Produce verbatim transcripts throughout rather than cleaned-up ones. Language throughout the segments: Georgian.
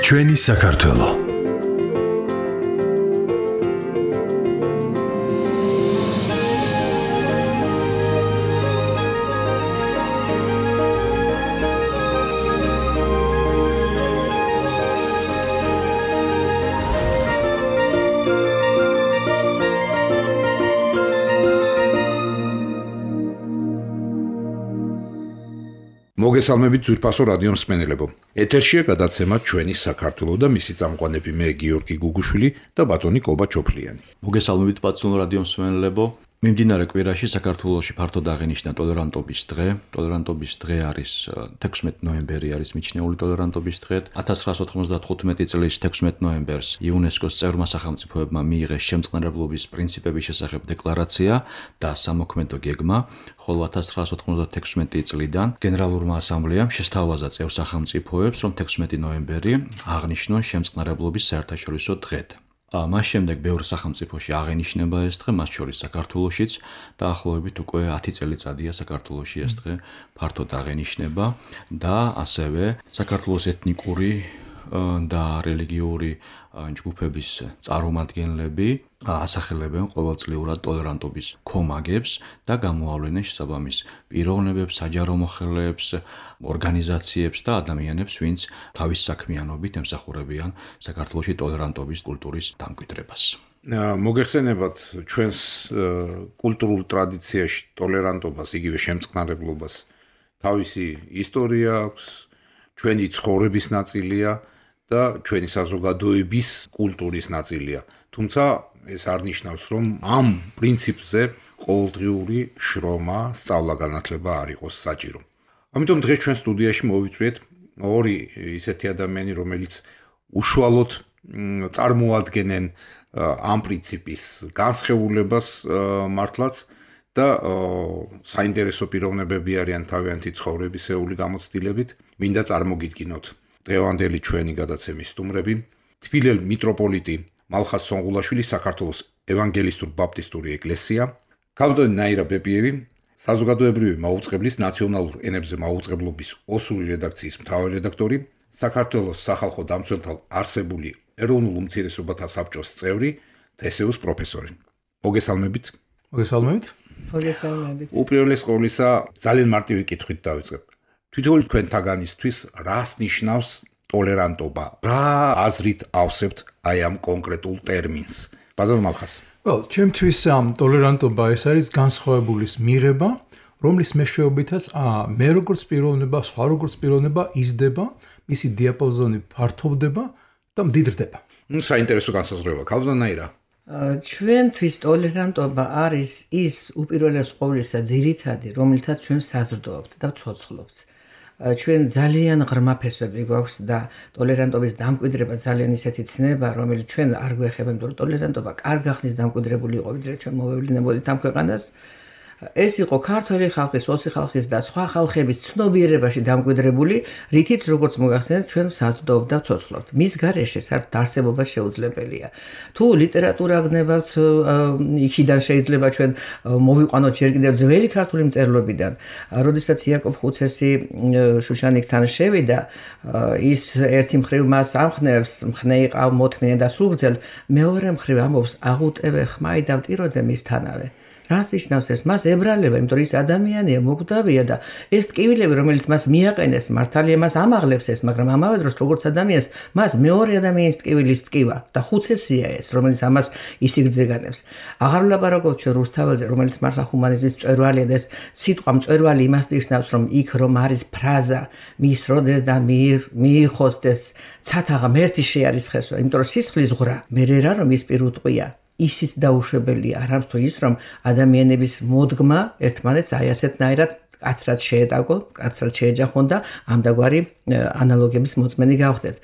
ჩვენი საქართველო. მოგესალმებით ძვირფასო რადიო მსმენელებო. ეთერშია გადაცემა ჩვენი საქართველო და მისი წამყვანები მე გიორგი გუგუშვილი და ბატონი კობა ჩოფლიანი. მოგესალმებით ბატონო რადიო მსმენელებო. მიმდინარე კვირაში საქართველოში ფართოდ აღინიშნა ტოლერანტობის დღე. ტოლერანტობის დღე არის თექვსმეტი ნოემბერი არის მიჩნეული ტოლერანტობის დღე. ათას ცხრაასი ოთხმოცდათხუთმეტი წლის თექვსმეტი ნოემბერს იუნესკოს წევრმა სახელმწიფოებმა მიიღეს შემწყნარებლობის პრინციპების შესახებ დეკლარაცია და სამოქმედო გეგმა, ხოლო ათას ცხრაასი ოთხმოცდათექვსმეტი წლიდან გენერალურმა ასამბლეამ შესთავაზა წევრ სახელმწიფოებს, რომ თექვსმეტი ნოემბერი აღნიშნონ შემწყნარებლობის საერთაშორისო დღედ. მას შემდეგ ბევრ სახელმწიფოში აღენიშნება ეს დღე, მათ შორის საქართველოშიც, დაახლოებით უკვე ათი წელიწადია საქართველოში ეს დღე ფართოდ აღენიშნება და ასევე საქართველოს ეთნიკური და რელიგიური ჯგუფების წარმომადგენლები ასახელებენ ყოველწლიურად ტოლერანტობის ქომაგებს და გამოავლენენ შესაბამის პიროვნებებს, საჯარო მოხელეებს, ორგანიზაციებს და ადამიანებს, ვინც თავის საქმიანობით ემსახურებიან საქართველოში ტოლერანტობის კულტურის დამკვიდრებას. მოგეხსენებათ ჩვენს კულტურულ ტრადიციაში ტოლერანტობას, იგივე შემწყნარებლობას თავისი ისტორია აქვს, ჩვენი ცხოვრების ნაწილია და ჩვენი საზოგადოების კულტურის ნაწილია. თუმცა ეს არ ნიშნავს, რომ ამ პრინციპზე ყოველდღიური შრომა, სწავლა-განათლება არ იყოს საჭირო. ამიტომ დღეს ჩვენ სტუდიაში მოვიწვიეთ ორი ისეთი ადამიანი, რომელიც უშუალოდ წარმოადგენენ ამ პრინციპის განსხევულებას მართლაც და საინტერესო პიროვნებები არიან თავიანთი ცხოვრებისეული გამოცდილებით. მინდა წარმოგიდგინოთ დღევანდელი ჩვენი გადაცემის სტუმრები, თბილელ მიტროპოლიტი მალხაზ სონღულაშვილი, საქართველოს ევანგელისტურ ბაპტისტური ეკლესია, ქალბატონი ნაირა ბებიევი, საზოგადოებრივი მაუწყებლის ნაციონალურ ენებზე მაუწყებლობის ოსური რედაქციის მთავარი რედაქტორი, საქართველოს სახალხო დამცველთა არსებული ეროვნულ უმცირესობათა საბჭოს წევრი, თესეუს პროფესორი. მოგესალმებით. მოგესალმებით. მოგესალმებით. უპირველეს ყოვლისა ძალიან მარტივი კითხვით დავიწყებ. თვითონ თქვენთაგანისთვის რას ნიშნავს ტოლერანტობა? რა აზრით ავსებთ აი ამ კონკრეტულ ტერმინს? ბატონო მალხაზ. Well, ჩემთვის ტოლერანტობა ეს არის განსხვავებულის მიღება, რომლის მეშვეობითაც მე როგორც პიროვნება, სხვა როგორც პიროვნება იზრდება, მისი დიაპაზონი ფართოვდება და მდიდრდება. ნუ საინტერესო განსაზღვრება. ქალბატონი ნაირა. ჩვენთვის ტოლერანტობა არის ის უპირველეს ყოვლისა ძირითადი, რომლითაც ჩვენ საზრდოობთ და ვცოცხლობთ. ჩვენ ძალიან ღრმა ფესვები გვაქვს და ტოლერანტობის დამკვიდრება ძალიან ისეთი ცნება, რომელიც ჩვენ არ გვეხება, იმიტომ რომ ტოლერანტობა კარგა ხნის დამკვიდრებული იყო, ვიდრე ჩვენ მოვევლინებოდით ამ ქვეყანას. ეს იყო ქართველი ხალხის, ოსი ხალხის და სხვა ხალხების ცნობიერებაში დამკვიდრებული, რითიც როგორც მოგახსენეთ, ჩვენ საზრდოობთ და ვცოცხლობთ. მის გარეშე საერთოდ არსებობა შეუძლებელია. თუ ლიტერატურა გნებავთ, იქიდან შეიძლება ჩვენ მოვიყვანოთ ჯერ კიდევ ძველი ქართული მწერლობიდან, როდესაც იაკობ ხუცესი შუშანიკთან შევიდა, ის ერთი მხრივ მას ამხნევს, მხნე იყავ მოთმინე და სულგრძელ, მეორე მხრივ ამბობს, აღუტევე ხმაი და ვტიროდე მისთანავე. რას ნიშნავს ეს? მას ებრალება, იმიტომ რომ ის ადამიანია, მოკვდავია და ეს ტკივილები, რომელიც მას მიაყენეს, მართალია მას ამაღლებს ეს, მაგრამ ამავე დროს როგორც ადამიანს, მას მეორე ადამიანის ტკივილის ტკივა და ხუცესია ეს, რომელიც ამას ისიგრძეგანებს. აღარ ვლაპარაკობთ ჩვენ რუსთაველზე, რომელიც მართლა ჰუმანიზმის მწვერვალია და ეს სიტყვა მწვერვალი იმას ნიშნავს, რომ იქ რომ არის ფრაზა, მიისროდეს და მიიხოსდეს, ცათა ღმერთი შეარისხესო, იმიტომ რომ სისხლის ღრა მე რა რომ ის პირუტყვია. ისიც დაუშვებელია, არამც თუ ის, რომ ადამიანების მოდგმა ერთმანეთს აი ასეთნაირად კაცრად შეეტაკო, კაცრად შეეჯახონ და ამდაგვარი ანალოგების მოწმენი გავხდეთ.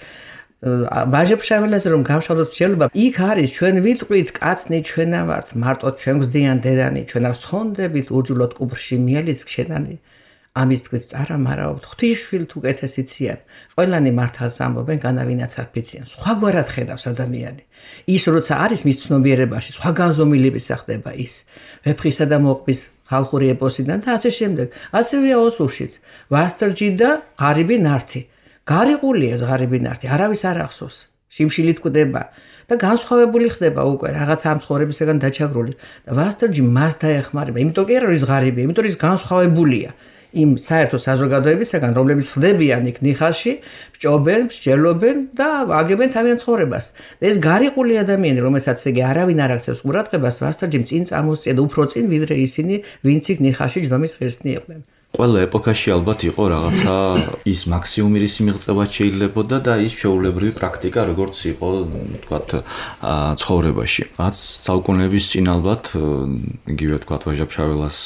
ვაჟებშაველაზე რომ გავშალოთ შეიძლება, იქ არის ჩვენ ვიტყვით კაცნი ჩვენა ვართ, მარტო ჩვენ გვზდიან დედანი, ჩვენა ვსხონდებით ურჯულოდ კუბრში მიელის ქშენანი. ამის თქვით წარამარავთ, ღვთისშვილთ უკეთესიციან. ყველანი მართალს ამბობენ, განავინაც აფიციან. სხვაგვარად ხედავს ადამიანი. ის როცა არის მის ცნობიერებაში, სხვა განზომილების ხდება ის. ვეფხისა და მოყვის ხალხური ეპოსიდან და ასე შემდეგ. ასევეა ოსურშიც. ვასტრჯი და ღარიბი ნართი. გარიყულია ღარიბი ნართი, არავის არ ახსოვს. შიმშილით კვდება და განსხვავებული ხდება უკვე რაღაც ამ ცხოვრებისგან დაჩაგრული. და ვასტრჯი მას დაეხმარება, იმიტომ კი არ არის ღარიბი, იმიტომ ის განსხვავებულია. იმ საერთო საზოგადოებისგან, რომლებიც ხდებიან იქ ნიხაში, ბჭობენ, მსჯელობენ და აგებენ თავიანთ ცხოვრებას. და ეს გარიყული ადამიანი, რომელსაც იგი არავინ არ აქცევს ყურადღებას, ვასტრჯიმ წინ წამოსწია და უფრო წინ, ვიდრე ისინი, ვინც იქ ნიხაში ჯდომის ღირსნი იყვნენ. ყველა ეპოქაში ალბათ იყო რაღაცა ის მაქსიმუმი რის მიღწევაც შეიძლებოდა და ის შეუულებრივი პრაქტიკა როგორც იყო თქვათ ცხოვრებაში. რაც საუკუნეების წინ ალბათ იგივე თქვათ ვაჟა-ფშაველას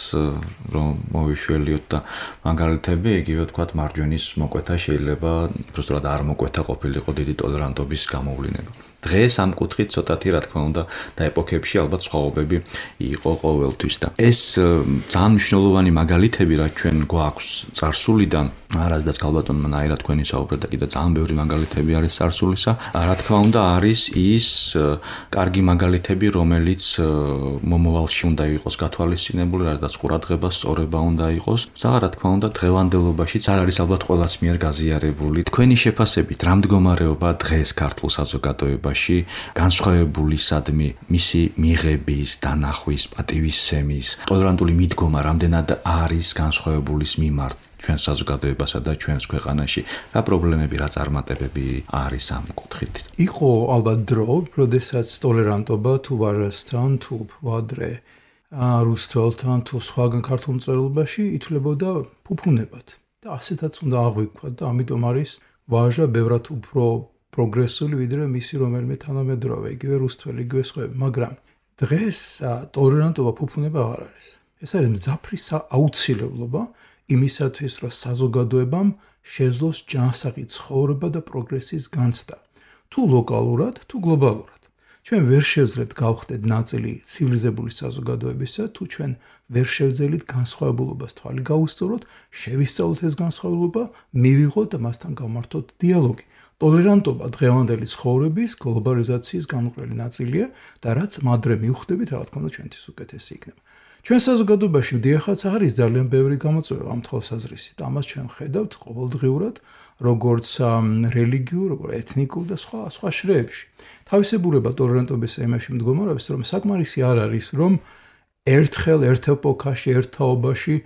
რომ მოვიშველიოთ და მაგალითები იგივე თქვათ მარჯვენის მოკვეთა შეიძლება უბრალოდ არ მოკვეთა ყოფილიყო დიდი ტოლერანტობის გამოვლინება. დღეს ამ კუთხით ცოტათი რა თქმა უნდა და ეპოქებში ალბათ სხვაობები იყო ყოველთვის და ეს ძალიან მნიშვნელოვანი მაგალითები რაც ჩვენ გვაქვს წარსულიდან არასდაც ქალბატონმა ნაირად თქვენი საუბრეთ და კიდე ძალიან ბევრი მაგალითები არის წარსულისა რა თქმა უნდა არის ის კარგი მაგალითები რომელიც მომავალში უნდა იყოს გათვალისწინებული რადგან ყურადღება სწორება უნდა იყოს და რა თქმა უნდა დღევანდელობაშიც არ არის ალბათ ყველას მიერ გაზიარებული თქვენი შეფასებით რა მდგომარეობა დღეს ქართულ საზოგადოებაში განსხვავებულისადმი მისი მიღების, დანახვის, პატივისცემის, ტოლერანტული მიდგომა რამდენად არის განსხვავებულის მიმართ ჩვენ საზოგადოებასა და ჩვენს ქვეყანაში რა პრობლემები, რა წარმატებები არის ამ კუთხით. იყო ალბათ დრო, როდესაც ტოლერანტობა თუ ვარასთან, თუ ვადრე, რუსთველთან, თუ სხვაგან ქართულ მწერლობაში ითვლებოდა ფუფუნებად. და ასეთაც უნდა აღვიქვათ და ამიტომ არის ვაჟა ბევრად უფრო პროგრესული ვიდრე მისი რომელიმე თანამედროვე, იგივე რუსთველი, იგივე სხვები, მაგრამ დღეს ტოლერანტობა ფუფუნება არ არის. ეს არის მძაფრი აუცილებლობა იმისათვის, რომ საზოგადოებამ შეძლოს ჯანსაღი ცხოვრება და პროგრესის განცდა, თუ ლოკალურად, თუ გლობალურად. ჩვენ ვერ შევძლებთ გავხდეთ ნაწილი ცივილიზებული საზოგადოებისა, თუ ჩვენ ვერ შევძელით განსხვავებულობას თვალი გავუსწოროთ, შევისწავლოთ ეს განსხვავებულობა, მივიღოთ და მასთან გავმართოთ დიალოგი. ტოლერანტობა დღევანდელი ცხოვრების გლობალიზაციის განუყრელი ნაწილია და რაც მადრე მივხვდებით, რა თქმა უნდა ჩვენთვის უკეთესი იქნება. ჩვენ საზოგადოებაში მდიახაც არის ძალიან ბევრი გამოწვევა ამ თვალსაზრისით. ამას ჩვენ ხედავთ ყოველდღიურად, როგორც რელიგიურ, როგორც ეთნიკურ და სხვა სხვა შრეებში. თავისებურება ტოლერანტობის ემაში მდგომარეობს, რომ საკმარისი არ არის, რომ ერთხელ ერთ ეპოქაში, ერთ თაობაში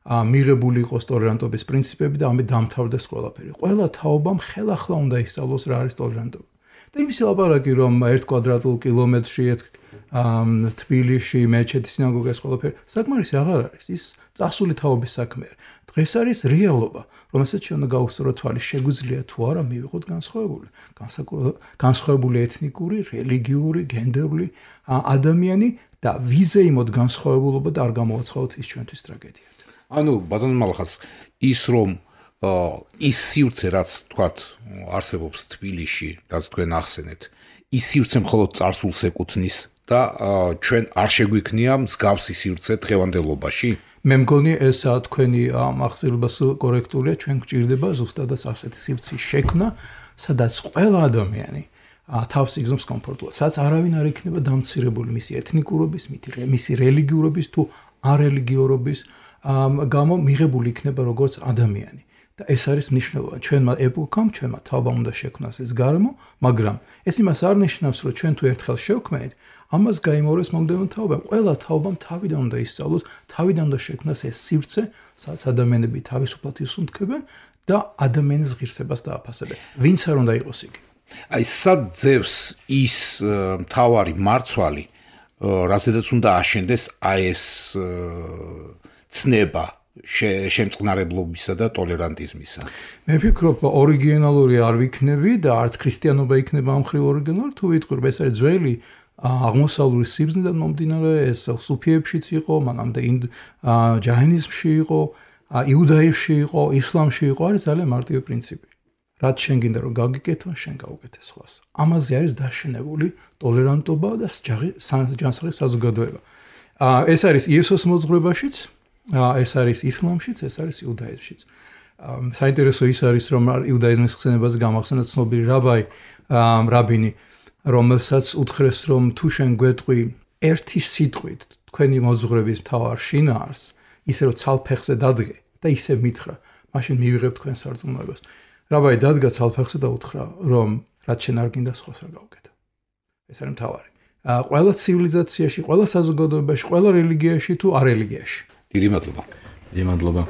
მიღებული იყოს ტოლერანტობის პრინციპები და ამით დამთავრდეს ყველაფერი. ყველა თაობამ ხელახლა უნდა ისწავლოს რა არის ტოლერანტობა. და იმის ლაპარაკი, რომ ერთ კვადრატულ კილომეტრში თბილისში მეჩეთი სინაგოგა ეს ყველაფერი საკმარისი აღარ არის. ის წასული თაობის საქმეა. დღეს არის რეალობა, რომელსაც ჩვენ უნდა გავუსწოროთ თვალი, შეგვიძლია თუ არა მივიღოთ განსხვავებული, განსხვავებული ეთნიკური, რელიგიური, გენდერული ადამიანი და ვიზეიმოთ განსხვავებულობა და არ გამოვაცხადოთ ის ჩვენთვის ტრაგედია. ანუ ბატონ მალხას ის რომ ის სივრცე რაც თქვათ არსებობს თბილისში, რაც თქვენ ახსენეთ, ის სივრცე მხოლოდ წარსულს ეკუთვნის და ჩვენ არ შეგვიქნია მსგავსი სივრცე დღევანდელობაში? მე მგონი ეს თქვენი აღწერილებას კორექტულია, ჩვენ გვჭირდება ზუსტადაც ასეთი სივრცის შექმნა, სადაც ყველა ადამიანი თავს იგზნობს კომფორტულად, სადაც არავინ არ იქნება დამცირებული მისი ეთნიკურობის, მისი რელიგიურობის თუ არელიგიურობის გამო მიღებული იქნება როგორც ადამიანი. და ეს არის მნიშვნელოვანი. ჩვენმა ეპოქამ, ჩვენმა თაობამ უნდა შექმნას ეს გარემო, მაგრამ ეს იმას არ ნიშნავს, რომ ჩვენ თუ ერთხელ შევქმნით, ამას გაიმეორებს მომდევნო თაობამ. ყველა თაობამ თავიდან უნდა ისწავლოს, თავიდან უნდა შექმნას ეს სივრცე, სადაც ადამიანები თავისუფლად ისუნთქებენ და ადამიანის ღირსებას დააფასებენ. ვინც არ უნდა იყოს იგი. აი სად ძევს ის მთავარი მარცვალი, რასაც უნდა აშენდეს აი ეს ცნება შემწყნარებლობისა და ტოლერანტიზმისა. მე ვფიქრობ, ორიგინალური არ ვიქნები და არც ქრისტიანობა იქნება ამ ხრივ ორიგინალური, თუ ვიტყვი, ეს არის ძველი აღმოსავლური სიბრძნიდან მომდინარე, ეს სუფიებშიც იყო, მანამდე ჯაინიზმში იყო, იუდაიზმში იყო, ისლამში იყო, არის ძალიან მარტივი პრინციპი. რაც შენ გინდა რომ გაგიკეთო, შენ გაუკეთე სხვას. ამაზე არის დაშენებული ტოლერანტობა და ჯანსაღი საზოგადოება. ეს არის იესოს მოძღვრებაშიც, ეს არის ისლამშიც, ეს არის იუდაიზმშიც. საინტერესო ის არის, რომ იუდაიზმის ხსენებას გამახსენდა ცნობილი რაბაი, რაბინი, რომელსაც უთხრეს, რომ თუ შენ გვეტყვი ერთი სიტყვით თქვენი მოზღვრების მთავარ შინაარს, ისე რომ ცალფეხზე დადგე და ისე მითხრა, მაშინ მივიღებ თქვენ სარწმუნოებას. რაბაი დადგა ცალფეხზე და უთხრა, რომ რაც შენ არ გინდა სხვას არ გავუკეთო. ეს არის მთავარი. ყველა ცივილიზაციაში, ყველა საზოგადოებაში, ყველა რელიგიაში თუ არელიგიაში. დიდი მადლობა. დიდი მადლობა.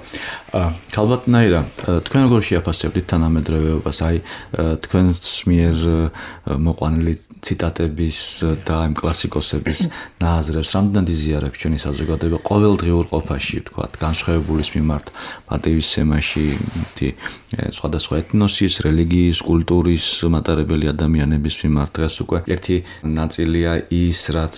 ქალბატონაირა, თქვენ როგორ შეაფასებთ თანამედროვეობას, აი თქვენს მიერ მოყვანილი ციტატების და იმ კლასიკოსების ნაზრებს, რამდენად იზიარებს ჩვენი საზოგადოება ყოველდღიურ ყოფაში, ვთქვათ, განსხვავებულის მიმართ, პატივისცემაში, სხვადასხვა ეთნოსის, რელიგიის, კულტურის მატარებელი ადამიანების მიმართ. დღეს უკვე ერთი ნაწილია ის, რაც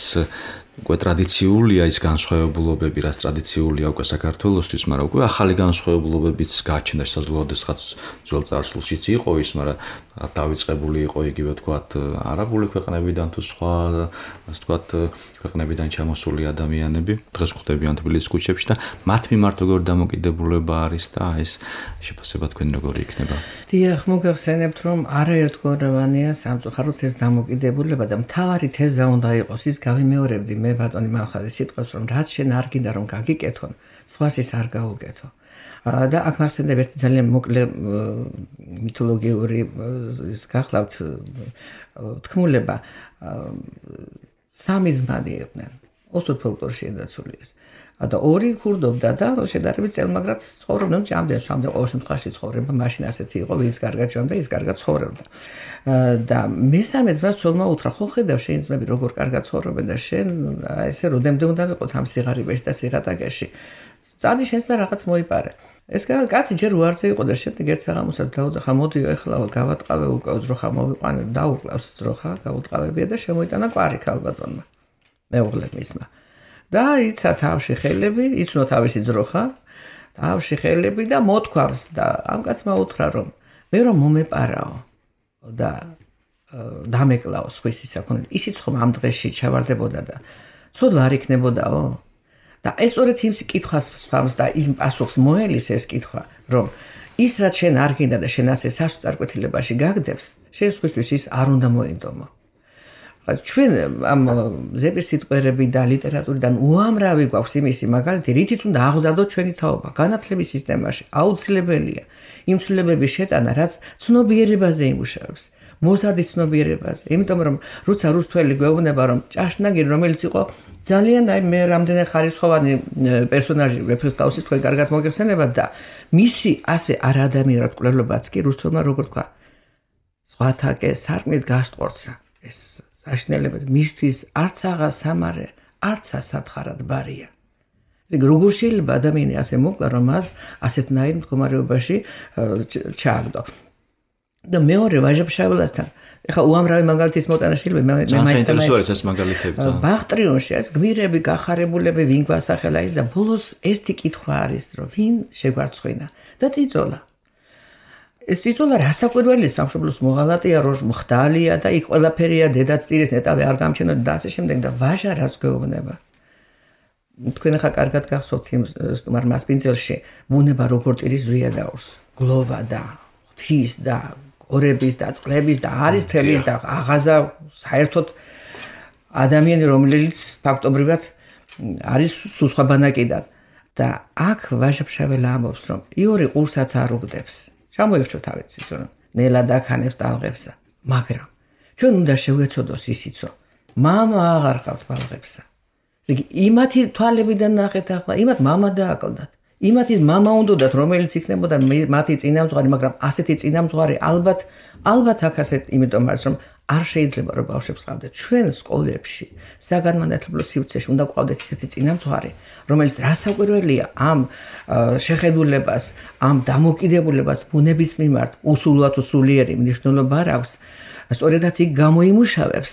უკვე ტრადიციულია ის განსხვავებულობები, რაც ტრადიციულია უკვე საქართველოსთვის, მაგრამ უკვე ახალი განსხვავებულობებიც გაჩნდა, შესაძლოა შესაძაც ძველ წარსულშიც იყო ის, მაგრამ დავიწყებული იყო იგივე ვთქვათ არაბული ქვეყნებიდან თუ სხვა, ასე ვთქვათ, ქვეყნებიდან ჩამოსული ადამიანები, დღეს ხვდებიან თბილისის ქუჩებში და მათ მიმართ როგორ დამოკიდებულება არის და ეს შეფასება თქვენ როგორი იქნება? დიახ, მოგახსენებთ, რომ არაერთგვაროვანია სამწუხაროდ ეს დამოკიდებულება და მთავარი თეზა უნდა იყოს ის გავიმეორებდი მე ბატონი მალხაზის სიტყვებს, რომ რაც შენ არ გინდა რომ გაგიკეთონ, სხვას ის არ გაუკეთო. და აქ მახსენდება ერთი ძალიან მოკლე მითოლოგიური ის გახლავთ თქმულება. სამი ძმანი იყვნენ, ოსურ ფოლკლორში დაცული ეს. და ორი ქურდობდა და შედარებით წელმაგრად ცხოვრობდნენ, ჭამდნენ, შამდნენ, ყოველ შემთხვევაში ცხოვრება მაშინ ასეთი იყო, ვინც კარგად ჭამდა, ის კარგად ცხოვრობდა. და მესამე ძმას ცოლმა უთხრა, ხო ხედავ შენ ძმები როგორ კარგად ცხოვრობენ და შენ ესე როდემდე უნდა ვიყოთ ამ სიღარიბეში და სიღატაკეში. წადი შენს და რაღაც მოიპარე. ეს კაცი ჯერ უარზე იყო და შემდეგ ერთ საღამოსაც დაუძახა, მოდიო ეხლა გავატყავე უკვე ძროხა მოვიყვანე, დაუკლავს ძროხა, გავუტყავებია და შემოიტანა კვარი ქალბატონმა. მეუღლემ მისმა. და იცა თავში ხელები, იცნო თავისი ძროხა, თავში ხელები და მოთქვამს და ამ კაცმა უთხრა, რომ მე რომ მომეპარაო და დამეკლაო სხვის ისაკონე, ისიც ხომ ამ დღეში ჩავარდებოდა და ცუდ არ იქნებოდაო. და ეს სწორედ იმ კითხვას სვამს და ის პასუხს მოელის ეს კითხვა, რომ ის რაც შენ არ გინდა და შენ ასე სასწარკვეთილებაში გაგდებს, შენ სხვისთვის ის არ უნდა მოინდომო. ჩვენ ამ ზეპირ სიტყვერები და ლიტერატურიდან უამრავი გვაქვს იმისი მაგალითი, რითიც უნდა აღზარდოთ ჩვენი თაობა განათლების სისტემაში. აუცილებელია იმ ცვლილებების შეტანა, რაც ცნობიერებაზე იმუშავებს, მოზარდის ცნობიერებაზე. იმიტომ რომ როცა რუსთველი გვეუბნება, რომ ჭაშნაგირი, რომელიც იყო ძალიან აი მე რამდენი ხარისხოვანი პერსონაჟი ვეფხისტყაოსის თქვენ კარგად მოგეხსენებათ და მისი ასე არაადამიანად კვლელობაც კი რუსთველმა როგორ თქვა, სხვათაკე სარკმლით გასტყორცა ეს საშინელებად მისთვის არც აღა სამარე, არც ასათხარად ბარია. როგორ შეიძლება ადამიანი ასე მოკლა, რომ მას ასეთნაირ მდგომარეობაში ჩააგდო. და მეორე ვაჟა-ფშაველასთან, ეხლა უამრავი მაგალითის მოტანა შეიძლება მე მე საინტერესო არის ეს მაგალითები. ბახტრიონში ეს გმირები, გახარებულები, ვინ გვასახელა ის და ბოლოს ერთი კითხვა არის, რომ ვინ შეგვარცხვინა და წიწოლა. ეს წიწოლა რასაკვირველია, სამშობლოს მოღალატეა, როჟ მხდალია და იქ ყველაფერია, დედაც ტირის ნეტავი არ გამჩნეოდა და ასე შემდეგ და ვაჟა რას გვეუბნება. თქვენ ახლა კარგად გახსოვთ იმ სტუმარ მასპინძელში, ბუნება როგორ ტირის ზვია დაურს, გლოვა და ღვთის და ორების და წყლების და არის თელის და აღაზა საერთოდ ადამიანი, რომელიც ფაქტობრივად არის სუსხვა ბანაკიდან და აქ ვაჟა-ფშაველა ამბობს, რომ იური ყურსაც არ უგდებს. ჩამოიხჩო თავით ციცო, ნელა დაქანებს ტალღებსა, მაგრამ ჩვენ უნდა შევეცოდოს ისიცო, მამა აღარ ყავთ ბალღებსა. იგი იმათი თვალებიდან ნახეთ ახლა, იმათ მამა დააკლდათ. იმათის მამა უნდათ, რომელიც იქნებოდა მათი წინამძღვარი, მაგრამ ასეთი წინამძღვარი ალბათ ალბათ აქ ასეთ, იმიტომ არის რომ არ შეიძლება რომ ბავშვებს ყავდეთ. ჩვენ სკოლებში, საგანმანათლებლო სივრცეში უნდა ყავდეთ ისეთი წინამძღვარი, რომელიც რასაკვირველია ამ შეხედულებას, ამ დამოკიდებულებას ბუნების მიმართ უსულვათ უსულიერი მნიშვნელობა არ აქვს. სწორედაც იქ გამოიმუშავებს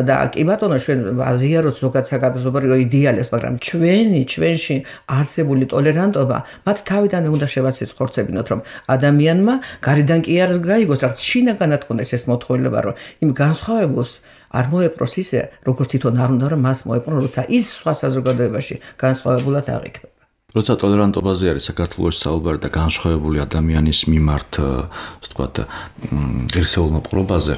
და კი ბატონო ჩვენ აზიაროთ ზოგადად საკადაზობრივ იდეალებს, მაგრამ ჩვენი ჩვენში არსებული ტოლერანტობა მათ თავიდანვე უნდა შევასწროს ხორცებინოთ, რომ ადამიანმა გარედან კი არ გაიგოს, რაც შინაგანად კონდეს ეს მოთხოვნილება, რომ იმ განსხვავებულს არ მოეპყროს ისე, როგორც თვითონ არ უნდა რომ მას მოეპყრო, როცა ის სხვა საზოგადოებაში განსხვავებულად აღიქმება. როცა ტოლერანტობაზე არის საქართველოს საუბარი და განსხვავებული ადამიანის მიმართ, ასე ვთქვათ, ღირსეულ მოპყრობაზე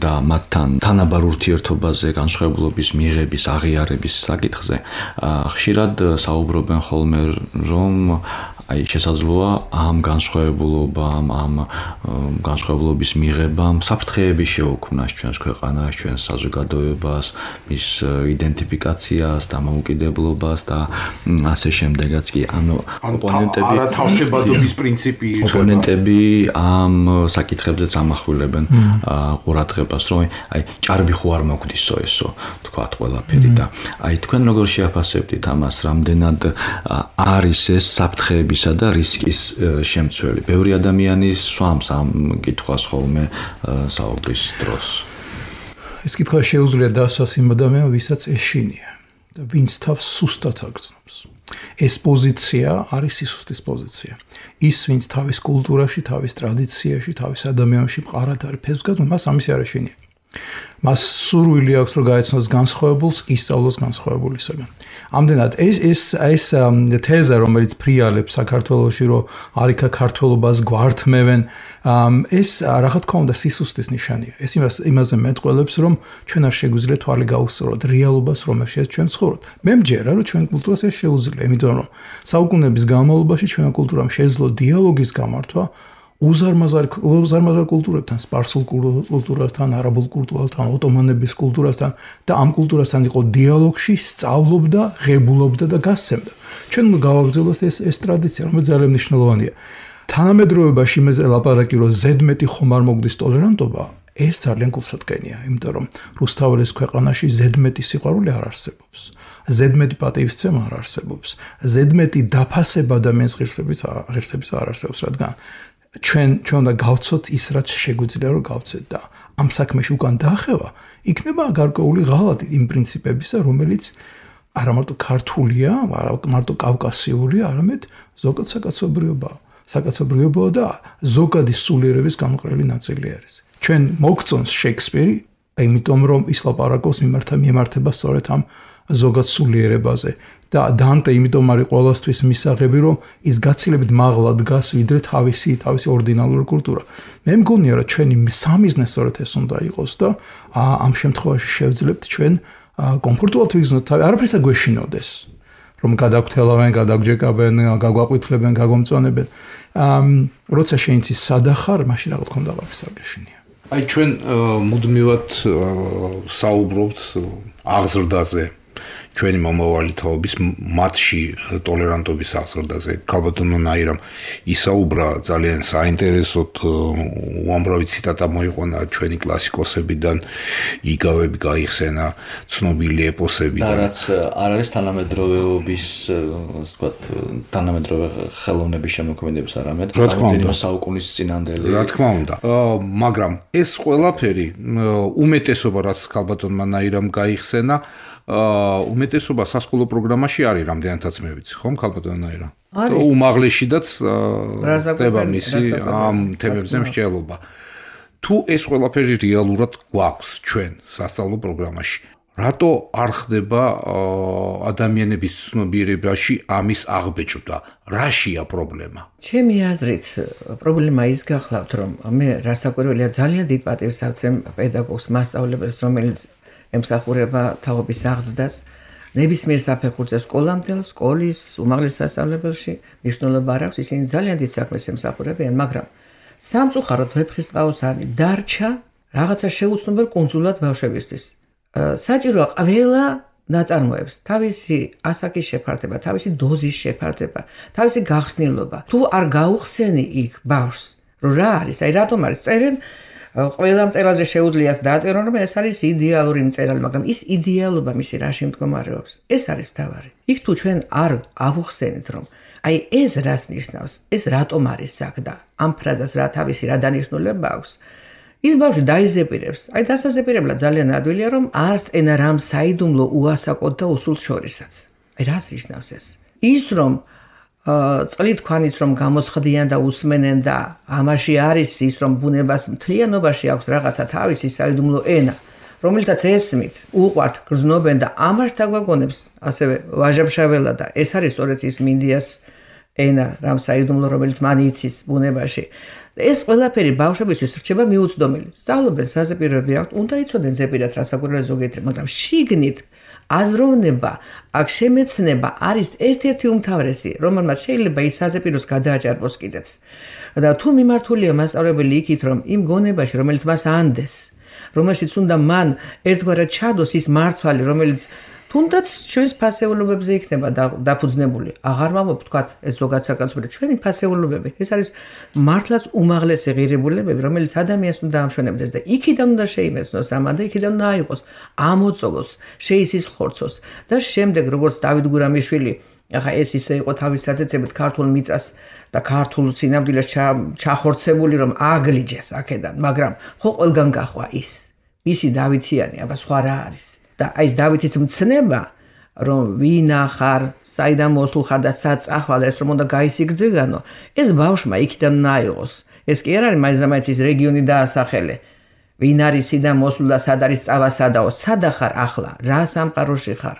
და მათთან თანაბარ ურთიერთობაზე, განსხვავებულობის მიღების, აღიარების საკითხზე, ხშირად საუბრობენ ხოლმე, რომ აი შესაძლოა ამ განსხვავებულობამ, ამ განსხვავებულობის მიღებამ საფრთხეები შეუქმნას ჩვენს ქვეყანას, ჩვენს საზოგადოებას, მის იდენტიფიკაციას, დამოუკიდებლობას და ასე შემდეგაც კი ანუ ოპონენტები არათავსებადობის პრინციპი ოპონენტები ამ საკითხებზეც ამახვილებენ ყურადღებას, რომ აი ჭარბი ხო არ მოგვდისო ესო, თქვათ ყველაფერი და აი თქვენ როგორ შეაფასებთ ამას, რამდენად არის ეს საფრთხეების და რისკის შემცველი. ბევრი ადამიანი სვამს ამ კითხვას ხოლმე საუბრის დროს. ეს კითხვა შეუძლია დასვას იმ ადამიანს, ვისაც ეშინია და ვინც თავს სუსტად აგრძნობს. ეს პოზიცია არის სისუსტის პოზიცია. ის, ვინც თავის კულტურაში, თავის ტრადიციაში, თავის ადამიანში მყარად არის ფესვგადმ, მას ამისი არ ეშინია. მას სურვილი აქვს, რომ გაეცნოს განსხვავებულს, ისწავლოს განსხვავებულისაგან. ამდენად ეს ეს ეს თეზა, რომელიც ფრიალებს საქართველოში, რომ არიქა ქართველობას გვართმევენ, ეს რა თქმა უნდა სისუსტის ნიშანია. ეს იმას იმაზე მეტყველებს, რომ ჩვენ არ შეგვიძლია თვალი გაუსწროთ რეალობას, რომელშიც ჩვენ ცხოვრობთ. მე მჯერა, რომ ჩვენ კულტურას ეს შეუძლია, იმიტომ რომ საუკუნეების განმავლობაში ჩვენმა კულტურამ შეძლო დიალოგის გამართვა უზარმაზარ უზარმაზარ კულტურებთან, სპარსულ კულტურასთან, არაბულ კულტურასთან, ოტომანების კულტურასთან და ამ კულტურასთან იყო დიალოგში, სწავლობდა, ღებულობდა და გასცემდა. ჩვენ გავაგრძელოთ ეს ეს ტრადიცია, რომელიც ძალიან მნიშვნელოვანია. თანამედროვეობაში მე ლაპარაკი რომ ზედმეტი ხომ არ მოგდის ტოლერანტობა, ეს ძალიან გულსატკენია, იმიტომ რომ რუსთაველის ქვეყანაში ზედმეტი სიყვარული არ არსებობს. ზედმეტი პატივისცემა არ არსებობს. ზედმეტი დაფასება ადამიანის ღირსების ღირსების არ არსებობს, რადგან ჩვენ ჩვენ უნდა გავცოთ ის, რაც შეგვიძლია რომ გავცეთ და ამ საქმეში უკან დაახევა, იქნება გარკვეული ღალატი იმ პრინციპებისა, რომელიც არა მარტო ქართულია, არა მარტო კავკასიურია, არამედ ზოგად საკაცობრიობაა. საკაცობრიობაა და ზოგადი სულიერების გამოყრელი ნაწილი არის. ჩვენ მოგწონს შექსპირი, იმიტომ რომ ის ლაპარაკობს მიმართა მიმართება სწორედ ამ ზოგად სულიერებაზე და დანტე იმიტომ არის ყოველთვის მისაღები, რომ ის გაცილებით მაღლა დგას ვიდრე თავისი თავისი ორდინალური კულტურა. მე მგონია, რომ ჩვენი სამიზნე სწორედ ეს უნდა იყოს და ამ შემთხვევაში შევძლებთ ჩვენ კომფორტულად ვიგრძნოთ თავი, არაფერს არ გვეშინოდეს, რომ გადაგვრთელავენ, გადაგჯეკაბენ, გაგვაყვითლებენ, გაგომწონებენ. როცა შენ იცის სადახარ, მაშინ რა თქმა უნდა აღარაფერს არ გეშინია. აი ჩვენ მუდმივად საუბრობთ აღზრდაზე, ჩვენი მომავალი თაობის მათში ტოლერანტობის აღზრდაზე. ქალბატონმა ნაირამ ისაუბრა ძალიან საინტერესოდ, უამრავი ციტატა მოიყვანა ჩვენი კლასიკოსებიდან, იგავები გაიხსენა, ცნობილი ეპოსებიდან. და რაც არ არის თანამედროვეობის, ასე ვთქვათ, თანამედროვე ხელოვნების შემოქმედების არამედ რამდენიმე საუკუნის წინანდელი. რა თქმა უნდა. მაგრამ ეს ყველაფერი უმეტესობა, რაც ქალბატონმა ნაირამ გაიხსენა, უმეტესობა სასკოლო პროგრამაში არის, რამდენადაც მე ვიცი, ხომ ქალბატონაირა? უმაღლეშიდაც ხდება მისი ამ თემებზე მსჯელობა. თუ ეს ყველაფერი რეალურად გვაქვს ჩვენ სასწავლო პროგრამაში, რატო არ ხდება ადამიანების ცნობიერებაში ამის აღბეჭდა? რაშია პრობლემა? ჩემი აზრით, პრობლემა ის გახლავთ, რომ მე რასაკვირველია ძალიან დიდ პატივს ავცემ პედაგოგს, მასწავლებელს, რომელიც ემსახურება თაობის აღზრდას, ნებისმიერ საფეხურზე სკოლამდელ, სკოლის უმაღლეს სასწავლებელში მნიშვნელობა არ აქვს, ისინი ძალიან დიდ საქმეს ემსახურებიან, მაგრამ სამწუხაროდ ვეფხისტყაოს არის დარჩა რაღაცა შეუცნობელ კუნძულად ბავშვებისთვის. საჭიროა ყველა ნაწარმოებს თავისი ასაკის შეფარდება, თავისი დოზის შეფარდება, თავისი გახსნილობა. თუ არ გაუხსენი იქ ბავშვს, რომ რა არის, აი რატომ არის წერენ ყველა მწერალზე შეუძლიათ დაწერონ, რომ ეს არის იდეალური მწერალი, მაგრამ ის იდეალობა მისი რაში მდგომარეობს? ეს არის მთავარი. იქ თუ ჩვენ არ ავუხსენით, რომ აი ეს რას ნიშნავს, ეს რატომ არის აქ და ამ ფრაზას რა თავისი რა დანიშნულება აქვს, ის ბავშვი დაიზეპირებს. აი დასაზეპირებლად ძალიან ადვილია, რომ არც ენა რამ საიდუმლო უასაკოდ და უსულს შორისაც. აი რას ნიშნავს ეს? ის რომ წყლით ქვანიც რომ გამოსხდიან და უსმენენ და ამაში არის ის რომ ბუნებას მთლიანობაში აქვს რაღაცა თავისი საიდუმლო ენა, რომელთაც ესმით, უყვართ, გრძნობენ და ამას დაგვაგონებს, ასევე ვაჟა-ფშაველა და ეს არის სწორედ ის მინდიას ენა, რამ საიდუმლო, რომელიც მან იცის ბუნებაში. ეს ყველაფერი ბავშვებისთვის რჩება მიუწვდომელი. სწავლობენ, საზეპიროები აქვთ, უნდა იცოდნენ ზეპირად რა საკვირველია ზოგიერთი, მაგრამ შიგნით აზროვნება, აქ შემეცნება არის ერთ-ერთი უმთავრესი, რომელმაც შეიძლება ის საზეპიროს გადააჭარბოს კიდეც. და თუ მიმართულია მასწავლებელი იქით, რომ იმ გონებაში, რომელიც მას ანდეს, რომელშიც უნდა მან ერთგვარად ჩადოს ის მარცვალი, რომელიც თუნდაც ჩვენს ფასეულობებზე იქნება დაფუძნებული. აღარ მამობ თქვათ ეს ზოგად საკაცობრიო ჩვენი ფასეულობები. ეს არის მართლაც უმაღლესი ღირებულებები, რომელიც ადამიანს უნდა ამშვენებდეს და იქიდან უნდა შეიმეცნოს ამა და იქიდან უნდა აიღოს, ამოწოვოს, შეისისხლორცოს და შემდეგ როგორც დავით გურამიშვილი ახლა ეს ისე იყო თავის საწეცებით ქართულ მიწას და ქართულ სინამდვილეს ჩახორცებული რომ აგლიჯეს აქედან, მაგრამ ხო ყველგან გახვა ის. მისი დავითიანი, აბა სხვა რა არის? და აი ეს დავითის მცნება რომ ვინა ხარ, საიდან მოსულ ხარ და სად წახვალ ეს რომ უნდა გაისიგძეგანო, ეს ბავშვმა იქიდან უნდა აიღოს. ეს კი არ არის მაინც და მაინც ის რეგიონი დაასახელე. ვინ არის სიდან მოსულ და სად არის წავასადაო, სად ხარ ახლა, რა სამყაროში ხარ?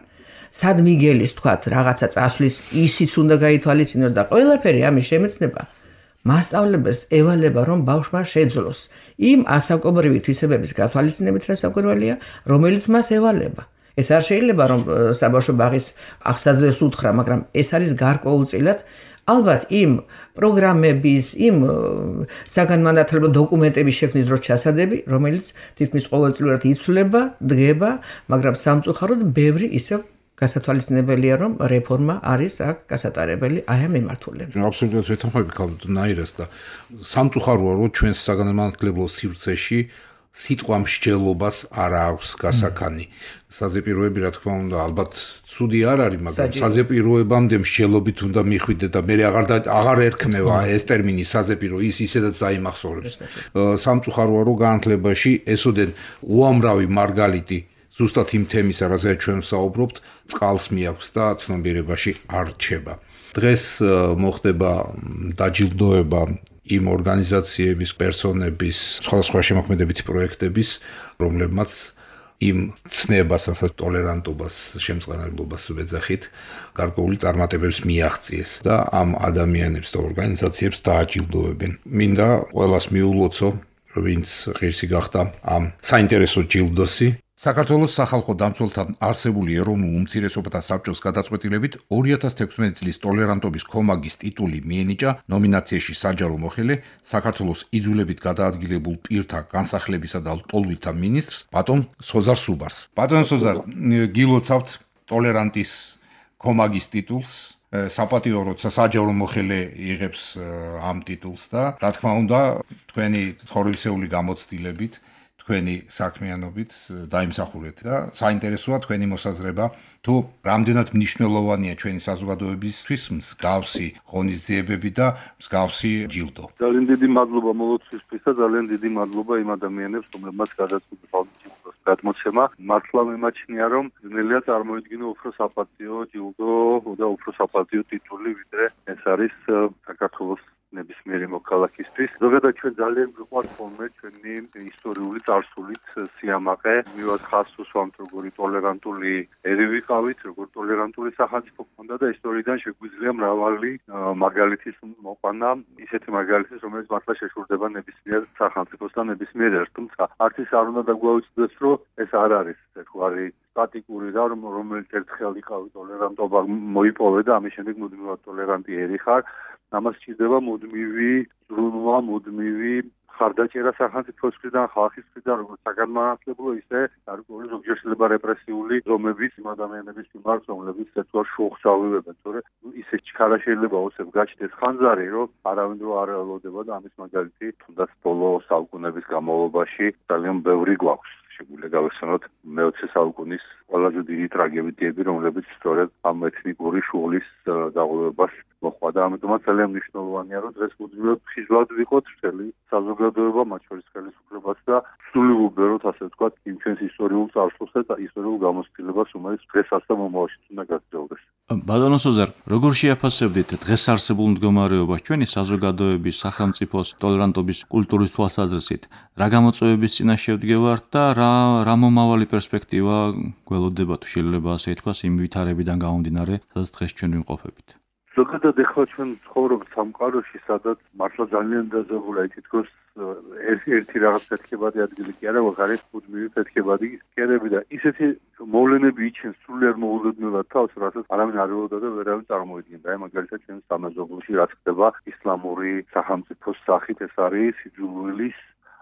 სად მიგელის თქვათ რაღაცა წასვლის ისიც უნდა გაითვალისწინოს და ყველაფერი ამის შემეცნება მასწავლებელს ევალება რომ ბავშვმა შეძლოს იმ ასაკობრივი თვისებების გათვალისწინებით რა საკვირველია, რომელიც მას ევალება. ეს არ შეიძლება რომ საბავშვო ბაღის აღსაძვერს უთხრა, მაგრამ ეს არის გარკვეულწილად ალბათ იმ პროგრამების, იმ საგანმანათლებლო დოკუმენტების შექმნის დროს ჩასადები, რომელიც თითქმის ყოველწლიურად იცვლება, დგება, მაგრამ სამწუხაროდ ბევრი ისევ გასათვალისწინებელია რომ რეფორმა არის აქ გასატარებელი აი ამ მიმართულებით. აბსოლუტურად ვეთანხმები ქალბატონ ნაირას და სამწუხაროა რომ ჩვენს საგანმანათლებლო სივრცეში სიტყვა მსჯელობას არ აქვს გასაქანი. საზეპიროები რა თქმა უნდა ალბათ ცუდი არ არის, მაგრამ საზეპიროებამდე მსჯელობით უნდა მიხვიდე და მე აღარ აღარ ერქმევა ეს ტერმინი საზეპირო, ის ისედაც დაიმახსოვრებს. სამწუხაროა რომ განათლებაში ესოდენ უამრავი მარგალიტი ზუსტად იმ თემისა, რაზეც ჩვენ ვსაუბრობთ, წყალს მიაქვს და ცნობიერებაში არ რჩება. დღეს მოხდება დაჯილდოება იმ ორგანიზაციების, პერსონების, სხვადასხვა შემოქმედებითი პროექტების, რომლებმაც იმ ცნებას, ასეთ ტოლერანტობას, შემწყნარებლობას ვეძახით, გარკვეული წარმატებებს მიაღწიეს და ამ ადამიანებს და ორგანიზაციებს დააჯილდოებენ. მინდა ყველას მიულოცო, ვინც ღირსი გახდა ამ საინტერესო ჯილდოსი. საქართველოს სახალხო დამცველთან არსებული ეროვნულ უმცირესობათა საბჭოს გადაწყვეტილებით ორი ათას თექვსმეტი წლის ტოლერანტობის კომაგის ტიტული მიენიჭა ნომინაციაში საჯარო მოხელე საქართველოს იძულებით გადაადგილებულ პირთა განსახლებისა და ლტოლვილთა მინისტრს ბატონ სოზარ სუბარს. ბატონ სოზარ, გილოცავთ ტოლერანტის კომაგის ტიტულს. საპატიო როცა საჯარო მოხელე იღებს ამ ტიტულს და რა თქმა უნდა თქვენი ცხოვრებისეული გამოცდილებით თქვენი საქმიანობით დაიმსახურეთ და საინტერესოა თქვენი მოსაზრება თუ რამდენად მნიშვნელოვანია ჩვენი საზოგადოებისთვის მსგავსი ღონისძიებები და მსგავსი ჯილდო. ძალიან დიდი მადლობა მოლოცვისთვის და ძალიან დიდი მადლობა იმ ადამიანებს, რომლებმაც გადაწყვიტეს ჯილდოს გადმოცემა. მართლა მიმაჩნია რომ ნელია წარმოიდგინა უფრო საპატიო ჯილდო და უფრო საპატიო ტიტული, ვიდრე ეს არის საქართველოს ნებისმიერი მოქალაქისთვის. ზოგადად ჩვენ ძალიან გვიყვართ ხოლმე ჩვენი ისტორიული წარსულით სიამაყე. მივაც ხაზს უსვამთ როგორი ტოლერანტული ერი ვიყავით, როგორ ტოლერანტული სახელმწიფო ჰქონდა და ისტორიიდან შეგვიძლია მრავალი მაგალითის მოყვანა, ისეთი მაგალითის, რომელიც მართლა შეშურდება ნებისმიერ სახელმწიფოს და ნებისმიერ ერთს. თუმცა არც ის არ უნდა დაგვაუწყდეს, რომ ეს არ არის ერთგვარი სტატიკური რა, რომელიც ერთხელ იყავი ტოლერანტობა მოიპოვე და ამის შემდეგ მუდმივად ტოლერანტი ერი ხარ. ამას სჭირდება მუდმივი ზრუნვა, მუდმივი ხარდაჭერა სახელმწიფოს მხრიდან, ხალხის მხრიდან, როგორც საგანმანათლებლო, ისე გარკვეული ზოგჯერ შეიძლება რეპრესიული ზომების იმ ადამიანების მიმართ, რომლებიც ერთგვარ შოხს ავიღებენ, თორე ისე ჩქარა შეიძლება ოცებ გაჩნდეს ხანძარი, რომ არავინ რო არ ელოდება და ამის მაგალითი თუნდაც ბოლო საუკუნეების განმავლობაში ძალიან ბევრი გვაქვს. შეგვიძლია გავიხსენოთ მეოცე საუკუნის ყველაზე დიდი ტრაგედიები, რომლებიც სწორედ ამ ეთნიკური შუღლის დაღუპებას მოყვა და ამიტომაც ძალიან მნიშვნელოვანია, რომ დღეს მუდმივად ხიზლად ვიყოთ მთელი საზოგადოება, მათ შორის ხელისუფლებაც და სრული უბეროთ, ასე ვთქვათ, იმ ჩვენს ისტორიულ წარსულს და ისტორიულ გამოცდილებას, რომელიც დღესაც და მომავალშიც უნდა გაგრძელდეს. ბატონო სოზარ, როგორ შეაფასებდით დღეს არსებულ მდგომარეობას ჩვენი საზოგადოების, სახელმწიფოს ტოლერანტობის კულტურის თვალსაზრისით? რა გამოწვევების წინაშე ვდგევართ და რა რა რა მომავალი პერსპექტივა გველოდება თუ შეიძლება ასე ითქვას იმ ვითარებიდან გამომდინარე, სადაც დღეს ჩვენ ვიმყოფებით. ზოგადად ეხლა ჩვენ ცხოვრობთ სამყაროში, სადაც მართლა ძალიან დაძაბულია თითქოს ერთი რაღაც ფეთქებადი ადგილი კი არა, ვაღარეთ მუდმივი ფეთქებადი კერები და ისეთი მოვლენები იჩენს სულიერ მოულოდნელად თავს, რასაც არავინ არ ველოდა და ვერავინ წარმოიდგენდა. აი მაგალითად ჩვენ სამეზობლოში რაც ხდება ისლამური სახელმწიფოს სახით, ეს არის სიძულვილის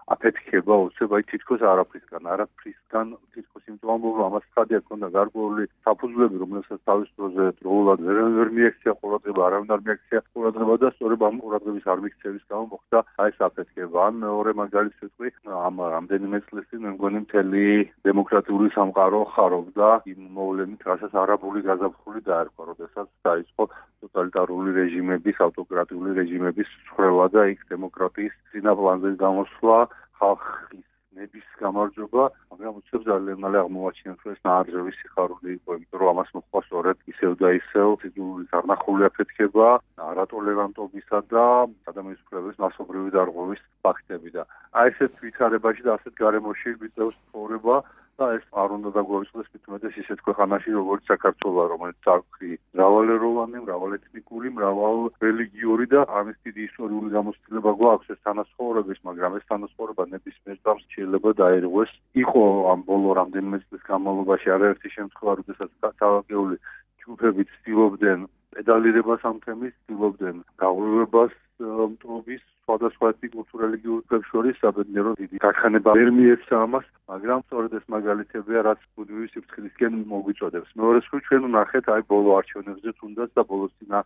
აფეთქება უცებ აი თითქოს არაფრისგან, არაფრისგან თითქოს იმ ამბობ ამას ხადია ქონდა გარკვეული საფუძვლები, რომელსაც თავის დროზე დროულად ვერ მიექცია ყურადღება, არავინ არ მიექცია ყურადღება და სწორედ ამ ყურადღების არ მიქცევის გამო მოხდა აი ეს აფეთქება. ან მეორე მაგალითს ვიტყვი, ამ რამდენიმე წლის წინ მე მგონი მთელი დემოკრატიული სამყარო ხარობდა იმ მოვლენით, რასაც არაბული გაზაფხული დაერქვა, როდესაც დაიწყო ტოტალიტარული რეჟიმების, ავტოკრატიული რეჟიმების ცხრევა და იქ დემოკრატიის წინაპლანზე გამოსვლა, ხალხის ნების გამარჯვება, მაგრამ უცებ ძალიან მალე აღმოაჩინეთ, რომ ეს ნაარწევი სიხარული იყო, იმიტომ რომ ამას მოჰყვა სწორედ ისევ და ისევ სიძულვილის არნახული აფეთქება, არატოლერანტობისა და ადამიანის უფლებების მასობრივი დარღვევის ფაქტები და აი ესეთ ვითარებაში და ასეთ გარემოში ვიწევს ცხოვრება და ეს არ უნდა დაგვაუწყდეს მithumetes ისეთ ქვეყანაში, როგორც საქართველო, რომელიც აქვს მრავალეროვანი, მრავალეთნიკური, მრავალრელიგიური და ამის დიდი ისტორიული გამოცდილება გვაქვს ეს თანასწორობის, მაგრამ ეს თანასწორობა ნებისმიერ წამს შეიძლება დაერღვეს. იყო ამ ბოლო რამდენიმე წლის განმავლობაში არაერთი შემთხვევა, როდესაც თავაგეული ჯგუფები ცდილობდნენ პედალირებას ამ თემის, ცდილობდნენ გაღვივებას მტრობის სხვადასხვა ეთნიკურ თუ რელიგიურ ჯგუფებს შორის, საბედნიეროდ დიდი გაქანება ვერ მიეცა ამას, მაგრამ სწორედ ეს მაგალითებია, რაც მუდმივი სიფრთხილისკენ მოგვიწოდებს. მეორე მხრივ ჩვენ ვნახეთ აი ბოლო არჩევნებზე თუნდაც და ბოლოს წინა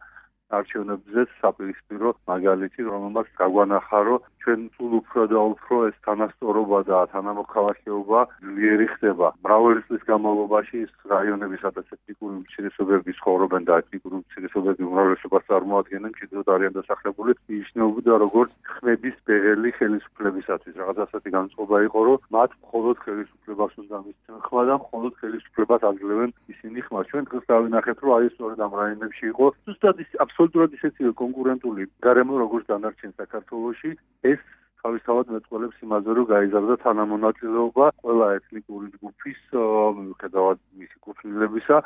არჩევნებზე საპირისპირო მაგალითი, რომელმაც გაგვანახა, რომ ჩვენ სულ უფრო და უფრო ეს თანასწორობა და თანამოქალაქეობა ძლიერი ხდება. მრავალი წლის განმავლობაში ის რაიონები, სადაც ეთნიკური უმცირესობები ცხოვრობენ და ეთნიკური უმცირესობები უმრავლესობას წარმოადგენენ, მჭიდროდ არიან დასახლებული, ნიშნავდა როგორც ხმების ბეღელი ხელისუფლებისათვის. რაღაც ასეთი განწყობა იყო, რომ მათ მხოლოდ ხელისუფლებას უნდა მისცენ ხმა და მხოლოდ ხელისუფლებას აძლევენ ისინი ხმა. ჩვენ დღეს დავინახეთ, რომ აი სწორედ ამ რაიონებში იყო ზუსტად ის აბსოლუტურად ისეთივე კონკურენტული გარემო, როგორც დანარჩენ საქართველოში. ეს თავისთავად მეწყვილებს იმაზე, რომ გაიზარდა თანამონაწილეობა ყველა ეთნიკური ჯგუფის, მიუხედავად მისი კუთვნილებისა,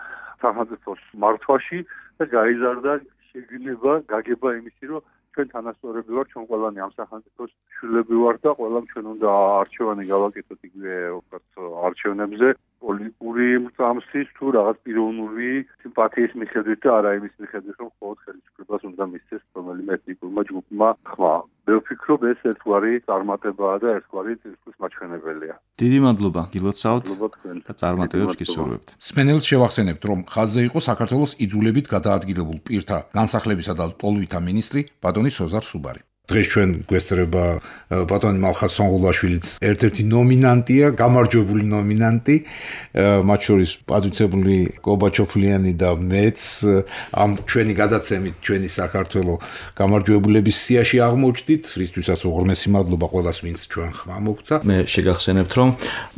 სახელმწიფოს მართვაში და გაიზარდა შეგრძნება, გაგება იმისი, რომ ჩვენ თანასწორები ვართ, ჩვენ ყველანი ამ სახელმწიფოს შვილები ვართ და ყველამ ჩვენ უნდა არჩევანი გავაკეთოთ იგივე ვთქვათ არჩევნებზე პოლიტიკური წამსის თუ რაღაც პიროვნული სიმპათიის მიხედვით და არა იმის მიხედვით, რომ მხოლოდ ხელისუფლებას უნდა მისცეს რომელიმე ეთნიკურმა ჯგუფმა ხმა. მე ვფიქრობ, ეს ერთგვარი წარმატებაა და ერთგვარი წინსვლის მაჩვენებელია. დიდი მადლობა გილოცავთ და წარმატებებს გისურვებთ. სპენელს შევახსენებთ, რომ ხაზზე იყო საქართველოს იძულებით გადაადგილებულ პირთა განსახლებისა და ტოლვითა მინისტრი ბატონი სოზარ სუბარი. დღეს ჩვენ გვესწრება ბატონი მალხაზ სონღულაშვილიც ერთ-ერთი ნომინანტია, გამარჯვებული ნომინანტი, მათ შორის პატივცემული კობა ჩოფლიანი და მეც ამ ჩვენი გადაცემით ჩვენი საქართველოს გამარჯვებულების სიაში აღმოჩნდით, რისთვისაც უღრმესი მადლობა ყველას, ვინც ჩვენ ხმა მოგცა. მე შეგახსენებთ, რომ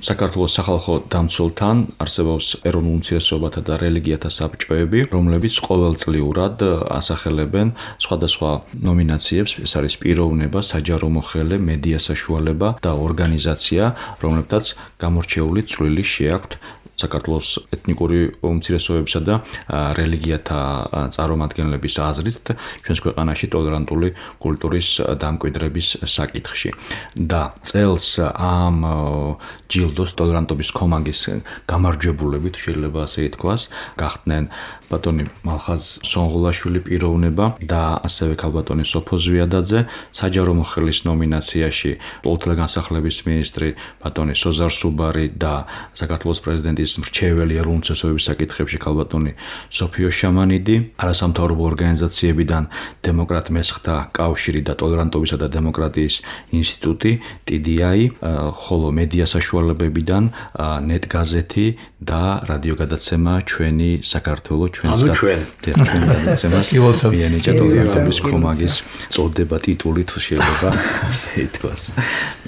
საქართველოს სახალხო დამცველთან არსებობს ეროვნულ უმცირესობათა და რელიგიათა საბჭოები, რომლებიც ყოველწლიურად ასახელებენ სხვადასხვა ნომინაციებს, ეს არის პიროვნება, საჯარო მოხელე, მედია საშუალება და ორგანიზაცია, რომლებთაც გამორჩეული წვლილი შეაქვთ საქართველოს ეთნიკური უმცირესობებისა და რელიგიათა წარმომადგენლების აზრით ჩვენს ქვეყანაში ტოლერანტული კულტურის დამკვიდრების საკითხში. და წელს ამ ჯილდოს ტოლერანტობის კომაგის გამარჯვებულებით, შეიძლება ასე ითქვას, გახდნენ ბატონი მალხაზ სონღულაშვილი პიროვნება და ასევე ქალბატონი სოფო ზვიადაძე, საჯარო მოხელის ნომინაციაში პოლიტიკა განსახლების მინისტრი ბატონი სოზარ სუბარი და საქართველოს პრეზიდენტის მრჩეველი ეროვნული უმცირესობების საკითხებში ქალბატონი სოფიო შამანიდი, არასამთავრობო ორგანიზაციებიდან დემოკრატ მესხთა კავშირი და ტოლერანტობისა და დემოკრატიის ინსტიტუტი ტი დი აი, ხოლო მედია საშუალებებიდან ნეტ გაზეთი და რადიოგადაცემა ჩვენი საქართველო ჩვენს გადაცემას ბიენიჭა ტოლერანტობის კომაგის წოდება ტიტული თუ შეიძლება ასე ითქვას.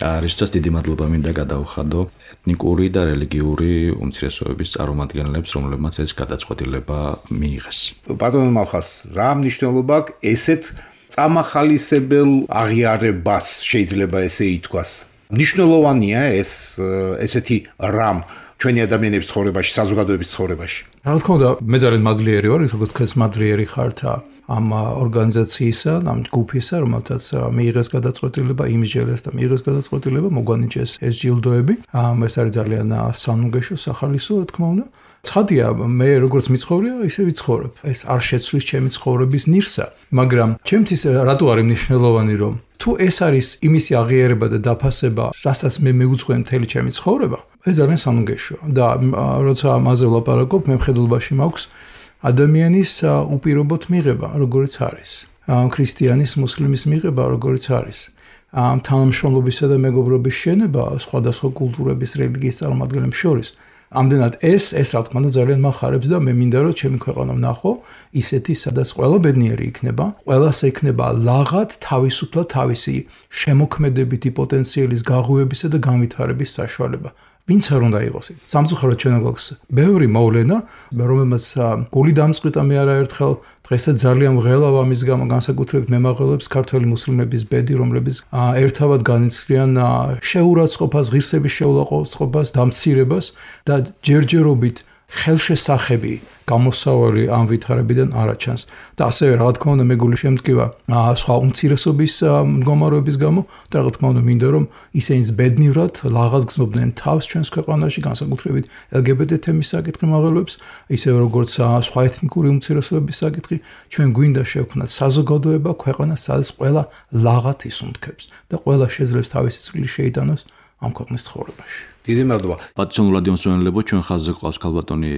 რისთვისაც დიდი მადლობა მინდა გადაუხადო ეთნიკური და რელიგიური უმცირესობების წარმომადგენლებს, რომლებმაც ეს გადაწყვეტილება მიიღეს. ბატონო მალხაზ, რა მნიშვნელობა აქვს ესეთ წამახალისებელ აღიარებას, შეიძლება ესე ითქვას, მნიშვნელოვანია ეს ესეთი რამ ჩვენი ადამიანების ცხოვრებაში, საზოგადოების ცხოვრებაში. რა თქმა უნდა, მე ძალიან მადლიერი ვარ, ის როგორც ქეს მადლიერი ხართ ამ ორგანიზაციისა, ამ ჯგუფისა, რომელთაც მიიღეს გადაწყვეტილება, იმსჯელეს და მიიღეს გადაწყვეტილება, მოგვანიჭეს ეს ჯილდოები. ეს არის ძალიან სანუგეშო, სახალისო, რა თქმა უნდა. ცხადია, მე როგორც მიცხოვრია, ისე ვიცხოვრებ. ეს არ შეცვლის ჩემი ცხოვრების ნირსა, მაგრამ ჩემთვის რატო არის მნიშვნელოვანი, რომ თუ ეს არის იმისი აღიარება და დაფასება, რასაც მე მიუძღვენ მთელი ჩემი ცხოვრება, ეს ძალიან სანუგეშოა და როცა ამაზე ვლაპარაკობ, მე მხედველობაში მაქვს ადამიანის უპირობოდ მიღება, როგორც არის. ქრისტიანის, მუსლიმის მიღება, როგორც არის. თანამშრომლობისა და მეგობრობის შენება სხვადასხვა კულტურების, რელიგიის წარმომადგენლებს შორის. ამდენად ეს ეს რა თქმა უნდა ძალიან מחარებს და მე მინდა რომ ჩემი ქვეყანა ვნახო ისეთი სადაც ყველა ბედნიერი იქნება, ყველას ექნება ლაღად თავისუფლად თავისი შემოქმედებითი პოტენციალის გაღვივებისა და განვითარების საშუალება. ვინც არ უნდა იყოს. სამწუხაროდ ჩვენ გვაქვს ბევრი მოვლენა, რომელმაც გული დამწყვიტა მე არაერთხელ დღესაც ძალიან ვღელავ ამის გამო განსაკუთრებით მემაღლებს ქართველი მუსლიმების ბედი, რომლებიც ერთავად განიცდიან შეურაცხყოფას, ღირსების შეურაცხყოფას, დამცირებას და ჯერჯერობით ხელშესახები გამოსავალი ამ ვითარებიდან არაჩანს და ასევე რა თქმა უნდა მეგული შემდგება სხვა უმცირესობის მდგომარეობის გამო და რა თქმა უნდა მინდა რომ ისინიც ბედნიერად ლაღად გზნობდნენ თავს ჩვენს ქვეყანაში განსაკუთრებით ელ გი ბი ტი თემის საკითხი მაღლებს ისევე როგორც სხვა ეთნიკური უმცირესობების საკითხი ჩვენ გვინდა შევქმნათ საზოგადოება ქვეყანა სადაც ყველა ლაღად ისუნთქებს და ყველა შეძლებს თავისი წვლილი შეიტანოს ამ ქვეყნის ცხოვრებაში. დიდი მადლობა. პატრიოტულ რადიო მსმენელებო, ჩვენ ხაზზე ყავს ქალბატონი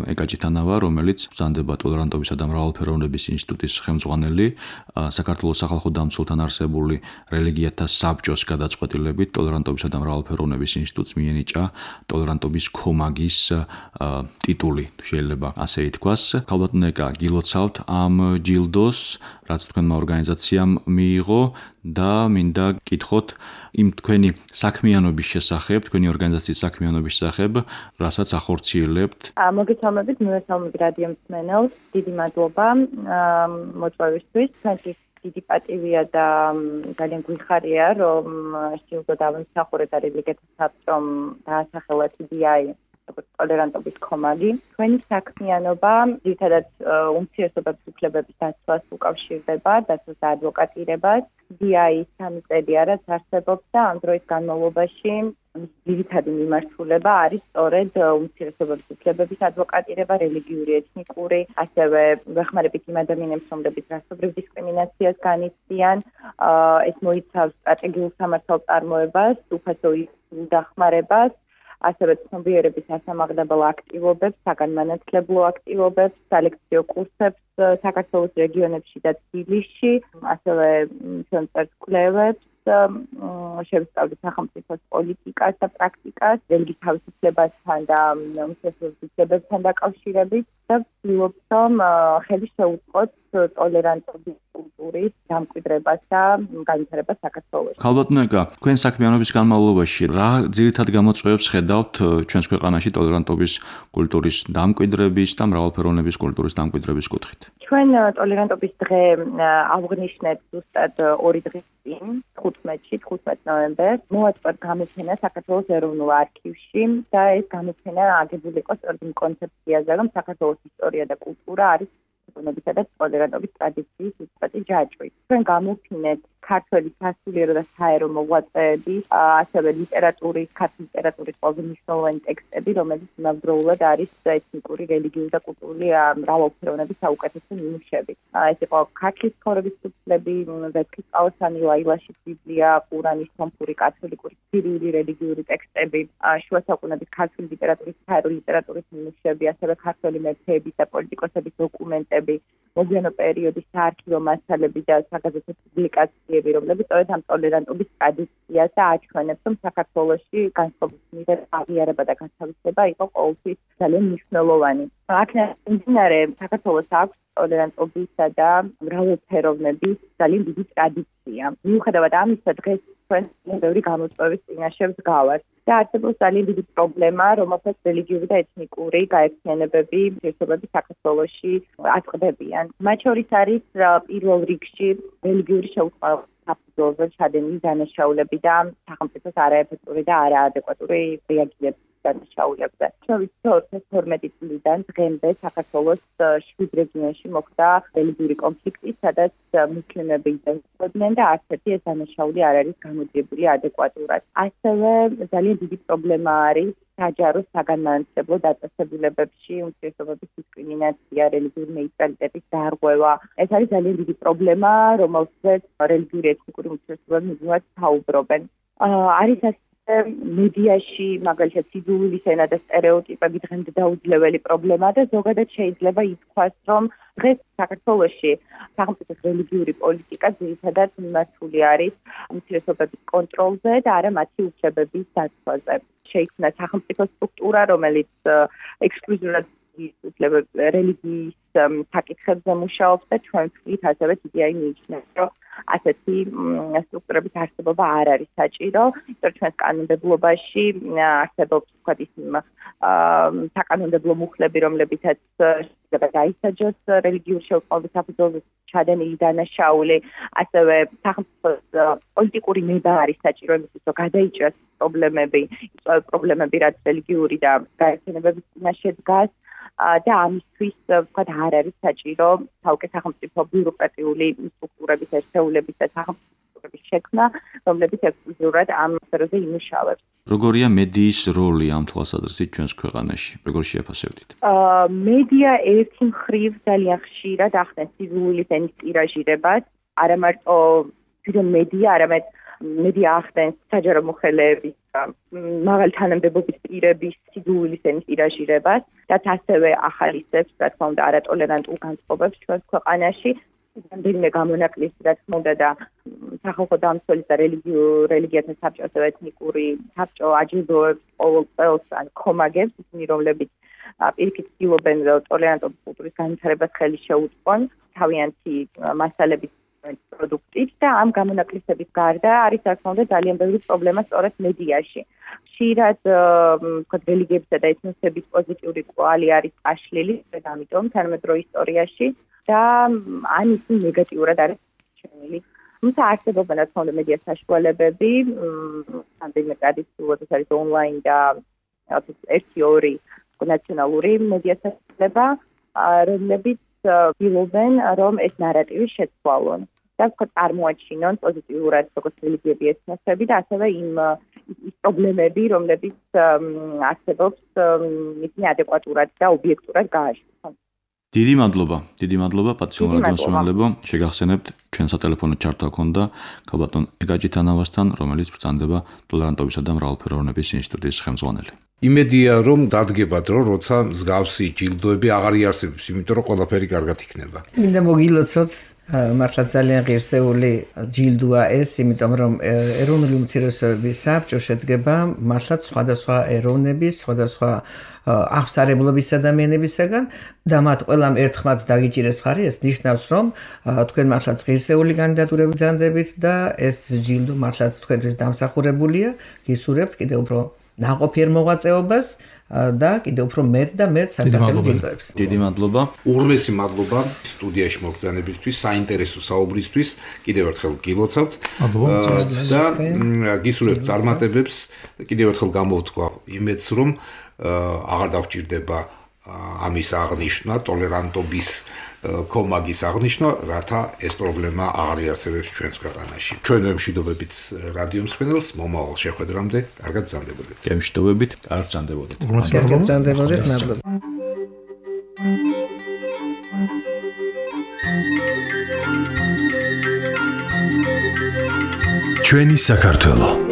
ეკაჭი თანავა, რომელიც ბრძანდება ტოლერანტობისა და მრავალფეროვნების ინსტიტუტის ხელმძღვანელი, საქართველოს სახალხო დამცველთან არსებული რელიგიათა საბჭოს გადაწყვეტილებით ტოლერანტობისა და მრავალფეროვნების ინსტიტუტს მიენიჭა ტოლერანტობის ქომაგის ტიტული, შეიძლება ასე ითქვას. ქალბატონ ეკა, გილოცავთ ამ ჯილდოს, რაც თქვენმა ორგანიზაციამ მიიღო და მინდა გკითხოთ იმ თქვენი საქმიანობის შესახებ, თქვენი ორგანიზაციის საქმიანობის შესახებ, რასაც ახორციელებთ. მოგესალმებით, მივესალმებით რადიო მსმენელს, დიდი მადლობა მოწვევისთვის. ჩვენთვის დიდი პატივია და ძალიან გვიხარია, რომ ჯილდო დავიმსახურე და რელიგიათა საბჭომ დაასახელა თი დი აი ტოლერანტობის ქომაგი. ჩვენი საქმიანობა ძირითადად უმცირესობების უფლებების დაცვას უკავშირდება, დაცვას და ადვოკატირებას. თი დი აი სამი წელია რაც არსებობს და ამ დროის განმავლობაში ძირითადი მიმართულება არის სწორედ უმცირესობების უფლებების ადვოკატირება, რელიგიური, ეთნიკური, ასევე ვეხმარებით იმ ადამიანებს, რომლებიც რასობრივ დისკრიმინაციას განიცდიან. ეს მოიცავს სტრატეგიულ სამართალ წარმოებას, უფასო დახმარებას, ასევე ცნობიერების ასამაღლებელ აქტივობებს, საგანმანათლებლო აქტივობებს, სალექციო კურსებს საქართველოს რეგიონებში და თბილისში, ასევე ჩვენს კვლევებს, შევსწავლით სახელმწიფოს პოლიტიკას და პრაქტიკას, რელიგიის თავისუფლებასთან და უმცირესობების უფლებებთან დაკავშირებით და ვცდილობთ, რომ ხელი შეუწყოთ ტოლერანტობის კულტურის დამკვიდრებას და განვითარებას საქართველოში. ქალბატონო ეკა, თქვენ საქმიანობის განმავლობაში რა ძირითად გამოწვევებს ხედავთ ჩვენს ქვეყანაში ტოლერანტობის კულტურის დამკვიდრების და მრავალფეროვნების კულტურის დამკვიდრების კუთხით? ჩვენ ტოლერანტობის დღე ავღნიშნეთ ზუსტად ორი დღის წინ, თხუთმეტში, თხუთმეტ ნოემბერს, მოაწყოთ გამოფენა საქართველოს ეროვნულ არქივში და ეს გამოფენა აგებული იყო სწორედ იმ კონცეფციაზე, რომ საქართველოს ისტორია და კულტურა არის უბნებისა და ტოლერანტობის ტრადიციის უწყვეტი ჯაჭვი. ჩვენ გამოფინეთ ქართველი სასულიერო და საერო მოღვაწეების, ასევე ლიტერატურის, ქართული ლიტერატურის ყველაზე მნიშვნელოვანი ტექსტები, რომელიც იმავდროულად არის ეთნიკური, რელიგიური და კულტურული მრავალფეროვნების საუკეთესო ნიმუშები. ეს იყო ქართლის ცხოვრების ფურცლები, ვეფხისტყაოსანი, ლაილაშის ბიბლია, ყურანი, სომხური, კათოლიკური, სირიული რელიგიური ტექსტები, შუა საუკუნეების ქართული ლიტერატურის, საერო ლიტერატურის ნიმუშები, ასევე ქართველი მეფეების და პოლიტიკოსების დოკუმენტები, მოგვიანო პერიოდის საარქივო მასალები და საგაზეთო პუბლიკაციები, რომლებიც სწორედ ამ ტოლერანტობის ტრადიციას აჩვენებს, რომ საქართველოში განსხვავების მიერ აღიარება და განთავისება იყო ყოველთვის ძალიან მნიშვნელოვანი. აქედან მიმდინარე საქართველოს აქვს ტოლერანტობისა და მრავალფეროვნების ძალიან დიდი ტრადიცია. მიუხედავად ამისა, დღეს ჩვენ ბევრი გამოწვევის წინაშე ვდგავართ. და არსებობს ძალიან დიდი პრობლემა, რომელსაც რელიგიური და ეთნიკური გაერთიანებები, umცირესობები საქართველოში აწყდებიან. მათ შორის არის პირველ რიგში რელიგიური შეუწყალობა საფუძველზე ჩადენილი დანაშაულები და სახელმწიფოს არაეფექტური და არაადეკვატური რეაგირება დანაშაულებზე. ჩვენ ვიცით, რომ ორი ათას თორმეტი წლიდან დღემდე საქართველოს შვიდ რეგიონში მოხდა რელიგიური კონფლიქტი, სადაც მუსლიმები იზრდებოდნენ და არც ერთი ეს დანაშაული არ არის გამოძიებული ადეკვატურად. ასევე ძალიან დიდი პრობლემა არის საჯარო საგანმანათლებლო დაწესებულებებში უმცირესობების დისკრიმინაცია, რელიგიური ნეიტრალიტეტის დარღვევა. ეს არის ძალიან დიდი პრობლემა, რომელზეც რელიგიური ეთნიკური უმცირესობები მუდმივად საუბრობენ. არის მედიაში მაგალითად სიძულვილის ენა და სტერეოტიპები დღემდე დაუძლეველი პრობლემა და ზოგადად შეიძლება ითქვას, რომ დღეს საქართველოში სახელმწიფოს რელიგიური პოლიტიკა ძირითადად მიმართული არის უმცირესობების კონტროლზე და არა მათი უფლებების დაცვაზე. შეიქმნა სახელმწიფო სტრუქტურა, რომელიც ექსკლუზიურად რელიგიის საკითხებზე მუშაობს და ჩვენ ვთქვით ასევე დიდი აი მიიჩნევს, რომ ასეთი სტრუქტურების არსებობა არ არის საჭირო, იმიტომ რომ ჩვენს კანონმდებლობაში არსებობს ვთქვათ ის საკანონმდებლო მუხლები, რომლებითაც შეიძლება დაისაჯოს რელიგიური შეუწყალობის საფუძველზე ჩადენილი დანაშაული, ასევე სახელმწიფოს პოლიტიკური ნება არის საჭირო იმისთვის, რომ გადაიჭრას პრობლემები, პრობლემები რაც რელიგიური და გაერთიანებების წინაშე დგას. და ამისთვის ვთქვათ არ არის საჭირო თავკე სახელმწიფო ბიუროკრატიული სტრუქტურების ერთეულების და სახელმწიფოების შექმნა, რომლებიც ექსკლუზიურად ამ სფეროზე იმუშავებს. როგორია მედიის როლი ამ თვალსაზრისით ჩვენს ქვეყანაში? როგორ შეაფასებდით? მედია ერთი მხრივ ძალიან ხშირად ახდენს სიძულვილის ენის ტირაჟირებას, არა მარტო თვითონ მედია, არამედ მედია ახდენს საჯარო მოხელეების მაღალი თანამდებობის პირების სიძულვილის ენის ტირაჟირებას, რაც ასევე ახალისებს, რა თქმა უნდა, არატოლერანტულ განწყობებს ჩვენს ქვეყანაში. რამდენიმე გამონაკლისი, რა თქმა უნდა, და სახალხო დამცველის და რელიგიათა საბჭო, ასევე ეთნიკური საბჭო აჯილდოებს ყოველ წელს ან ქომაგებს, ისინი რომლებიც პირიქით ცდილობენ ტოლერანტობის კულტურის განვითარებას ხელი შეუწყონ თავიანთი მასალების პროდუქტით და ამ გამონაკლისების გარდა არის რა თქმა უნდა ძალიან ბევრი პრობლემა სწორედ მედიაში. ხშირად ვთქვათ რელიგიებისა და ეთნოსების პოზიტიური კვალი არის წაშლილი, ამიტომ თანამედროვე ისტორიაში და ან ისინი ნეგატიურად არის შეჩენილი. თუმცა არსებობენ რა თქმა უნდა მედიას საშუალებები, რამდენიმე ტრადიციულად ეს არის ონლაინ და ერთი ორი ნაციონალური მედიას საშუალება, რომლებიც ვიღებენ, რომ ეს ნარატივი შეცვალონ და ვთქვათ წარმოაჩინონ პოზიტიურად როგორც რელიგიები ეთნოსები და ასევე იმ ის პრობლემები, რომლებიც არსებობს, ისინი ადეკვატურად და ობიექტურად გააშუქონ. დიდი მადლობა, დიდი მადლობა პატიციურ რადიოსმენელებო, შეგახსენებთ ჩვენ სატელეფონო ჩართვა ქონდა ქალბატონ ეგაჯითანავასთან, რომელიც ბრძანდება ტოლერანტობისა და მრავალფეროვნების ინსტიტუტის ხელმძღვანელი. იმედია რომ დადგებათ რომ როცა მსგავსი ჯილდოები აღარ იარსებებს, იმიტომ რომ ყველაფერი კარგად იქნება. მინდა მოგილოცოთ მართლა ძალიან ღირსეული ჯილდოა ეს, იმიტომ რომ ეროვნული უმცირესობების საბჭო შედგება მართლაც სხვადასხვა ეროვნების, სხვადასხვა აღსარებლობის ადამიანებისაგან და მათ ყველამ ერთხმად დაგიჭირეს მხარი, ეს ნიშნავს რომ თქვენ მართლაც ღირსეული კანდიდატურები ბრძანდებით და ეს ჯილდო მართლაც თქვენთვის დამსახურებულია, გისურვებთ კიდევ უფრო ნაყოფიერ მოღვაწეობას და კიდევ უფრო მეტ და მეტ სასახელო ჯილდოებს. დიდი მადლობა. უღრმესი მადლობა სტუდიაში მოგზაურობისთვის, საინტერესო საუბრისთვის. კიდევ ერთხელ გილოცავთ და გისურვებთ წარმატებებს. კიდევ ერთხელ გამოვთქვა იმედს, რომ აღარ დაგვჭირდება ამის აღნიშვნა, ტოლერანტობის კომაგის აღნიშვნა, რათა ეს პრობლემა აღარ იარსებებს ჩვენს ქვეყანაში. ჩვენ ვემშვიდობებით რადიო მსმენელს, მომავალ შეხვედრამდე, კარგად ბრძანდებოდეთ. გემშვიდობებით, კარგად ბრძანდებოდეთ. კარგად ბრძანდებოდეთ, მადლობა. ჩვენი საქართველო